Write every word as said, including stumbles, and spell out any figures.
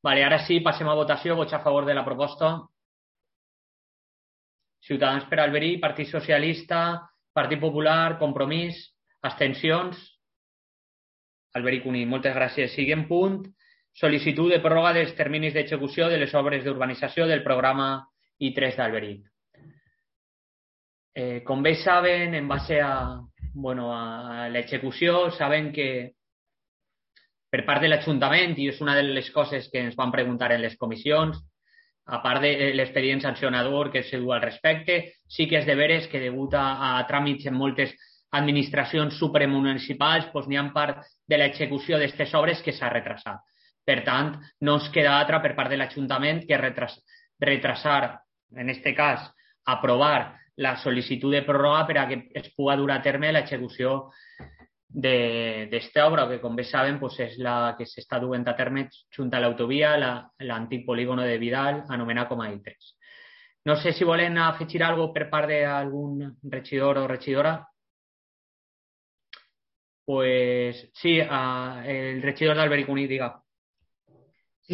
Vale, ara sí, passem a votació. Vots a favor de la proposta. Ciutadans per Alberí, Partit Socialista, Partit Popular, Compromís, abstencions. Alberí Cuní, moltes gràcies. Siguem punt. Sol·licitud de pròrroga dels terminis d'execució de les obres d'urbanització del programa I tres d'Alberí. Eh, com bé saben, en base a, bueno, a l'execució, saben que per part de l'Ajuntament, i és una de les coses que ens van preguntar en les comissions, a part de l'expedient sancionador que s'ha dut al respecte, sí que és de veres que degut a, a tràmits en moltes administracions supramunicipals doncs n'hi ha part de l'execució d'aquestes obres que s'ha retrasat. Per tant, no ens queda altra per part de l'Ajuntament que retras, retrasar, en aquest cas, aprovar la sol·licitud de pròrroga per a que es pugui dur a terme l'execució d'esta obra, que com bé saben pues, és la que s'està duent a terme junt a l'autovia, l'antic polígono de Vidal, anomenat com a I tres. No sé si volen afegir alguna cosa per part d'algun regidor o regidora. Pues sí, uh, el regidor d'Alberí Cuní, diga.